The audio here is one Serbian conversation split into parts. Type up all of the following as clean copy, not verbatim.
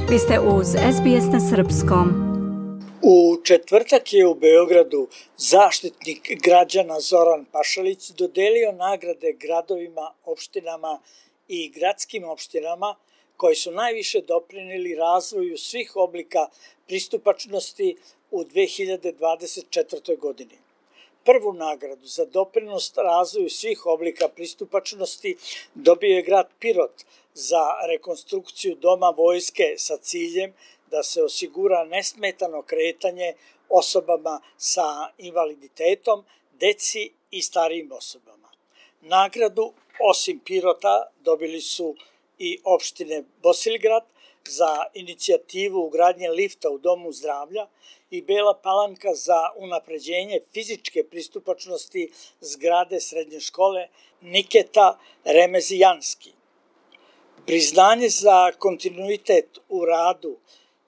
Vi ste uz SBS na srpskom. U četvrtak je u Beogradu Zaštitnik građana Zoran Pašalić dodelio nagrade gradovima, opštinama i gradskim opštinama koji su najviše doprineli razvoju svih oblika pristupačnosti u 2024. godini. Prvu nagradu za doprinos razvoju svih oblika pristupačnosti dobio je grad Pirot za rekonstrukciju Doma vojske sa ciljem da se osigura nesmetano kretanje osobama sa invaliditetom, deci i starijim osobama. Nagradu, osim Pirota, dobili su i opštine Bosilgrad za inicijativu ugradnje lifta u Domu zdravlja i Bela Palanka za unapređenje fizičke pristupačnosti zgrade srednje škole Niketa Remezijanski. Priznanje za kontinuitet u radu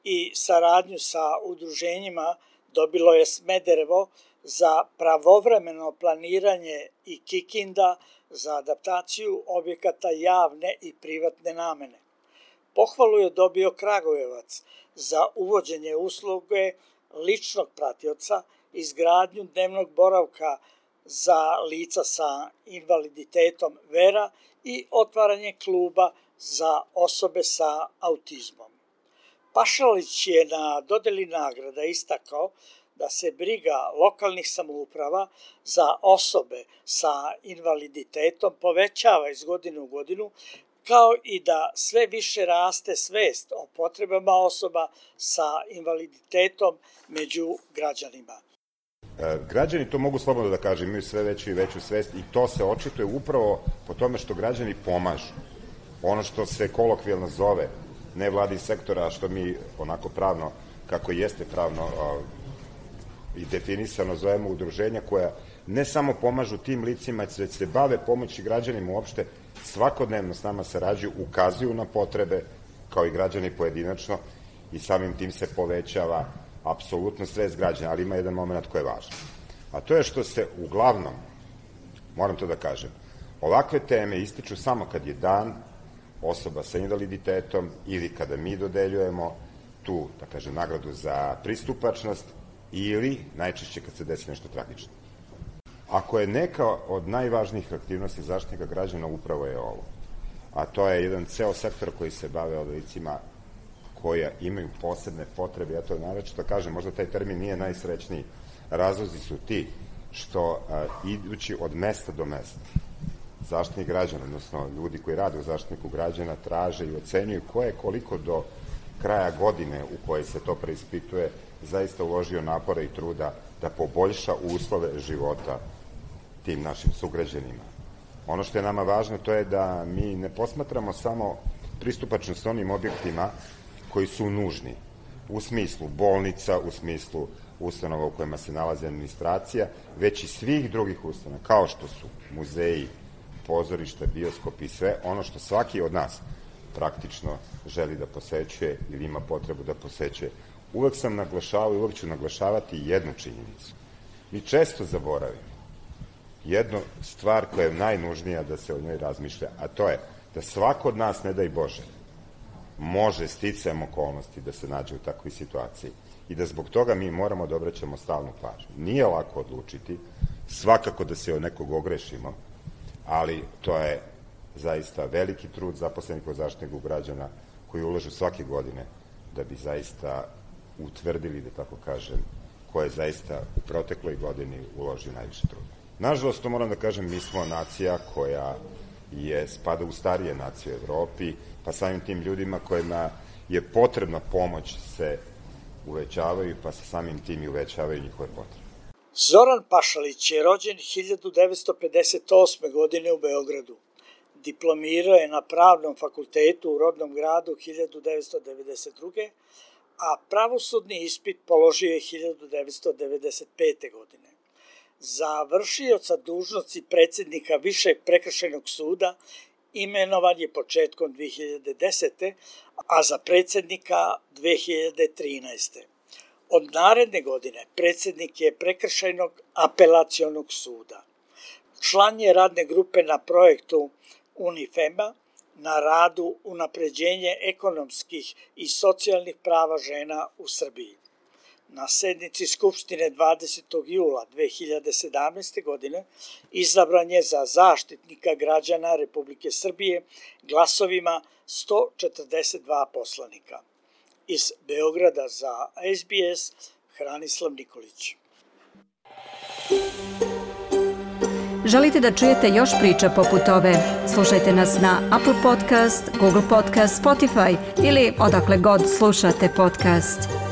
i saradnju sa udruženjima dobilo je Smederevo za pravovremeno planiranje i Kikinda za adaptaciju objekata javne i privatne namene. Pohvalu je dobio Kragujevac za uvođenje usluge ličnog pratioca, izgradnju dnevnog boravka za lica sa invaliditetom Vera i otvaranje kluba za osobe sa autizmom. Pašalić je na dodeli nagrada istakao da se briga lokalnih samouprava za osobe sa invaliditetom povećava iz godine u godinu, kao i da sve više raste svest o potrebama osoba sa invaliditetom među građanima. Građani, to mogu slobodno da kažem, imaju sve veću i veću svest i to se očituje upravo po tome što građani pomažu. Ono što se kolokvijalno zove nevladin sektora, a što mi onako pravno, kako jeste pravno i definisano, zovemo udruženja koja ne samo pomažu tim licima, već se bave pomoći građanima uopšte, svakodnevno s nama sarađuju, ukazuju na potrebe, kao i građani pojedinačno, i samim tim se povećava apsolutno svest građana, ali ima jedan moment koji je važan. A to je što se uglavnom, moram to da kažem, ovakve teme ističu samo kad je dan osoba sa invaliditetom ili kada mi dodeljujemo tu, da kažem, nagradu za pristupačnost ili najčešće kad se desi nešto tragično. Ako je neka od najvažnijih aktivnosti Zaštitnika građana, upravo je ovo. A to je jedan ceo sektor koji se bave licima koja imaju posebne potrebe. Ja to naročito kažem, možda taj termin nije najsrećniji. Razlozi su ti što idući od mesta do mesta Zaštitnik građana, odnosno ljudi koji rade u Zaštitniku građana, traže i ocenjuju ko je koliko do kraja godine u kojoj se to preispituje zaista uložio napora i truda da poboljša uslove života tim našim sugrađanima. Ono što je nama važno, to je da mi ne posmatramo samo pristupačnost onim objektima koji su nužni, u smislu bolnica, u smislu ustanova u kojima se nalazi administracija, već i svih drugih ustanova, kao što su muzeji, pozorišta, bioskopi i sve ono što svaki od nas praktično želi da posećuje ili ima potrebu da posećuje. Uvek sam naglašavao i uvek ću naglašavati jednu činjenicu. Mi često zaboravimo jednu stvar koja je najnužnija da se o njoj razmišlja, a to je da svako od nas, ne daj Bože, može sticajem okolnosti da se nađe u takvoj situaciji i da zbog toga mi moramo da obraćamo stalnu pažnju. Nije lako odlučiti, svakako da se o nekog ogrešimo, ali to je zaista veliki trud zaposlenih u Zaštitniku građana koji ulažu svake godine da bi zaista utvrdili, da tako kažem, ko je zaista u protekloj godini uložio najviše truda. Nažalost, to moram da kažem, mi smo nacija koja spada u starije nacije u Evropi, pa samim tim ljudima kojima je potrebna pomoć se uvećavaju, pa se samim tim i uvećavaju njihove potrebe. Zoran Pašalić je rođen 1958. godine u Beogradu. Diplomirao je na Pravnom fakultetu u rodnom gradu 1992. a pravosudni ispit položio je 1995. godine. Za vršioca dužnosti predsednika Višeg prekršajnog suda imenovan je početkom 2010. a za predsednika 2013. Od naredne godine predsednik je Prekršajnog apelacionog suda. Član je radne grupe na projektu UNIFEM-a na radu unapređenje ekonomskih i socijalnih prava žena u Srbiji. Na sednici Skupštine 20. jula 2017. godine izabran je za Zaštitnika građana Republike Srbije glasovima 142 poslanika. Iz Beograda za SBS, Hranislav Nikolić. Želite da čujete još priča poput ove? Slušajte nas na Apple Podcast, Google Podcast, Spotify ili odakle god slušate podcast.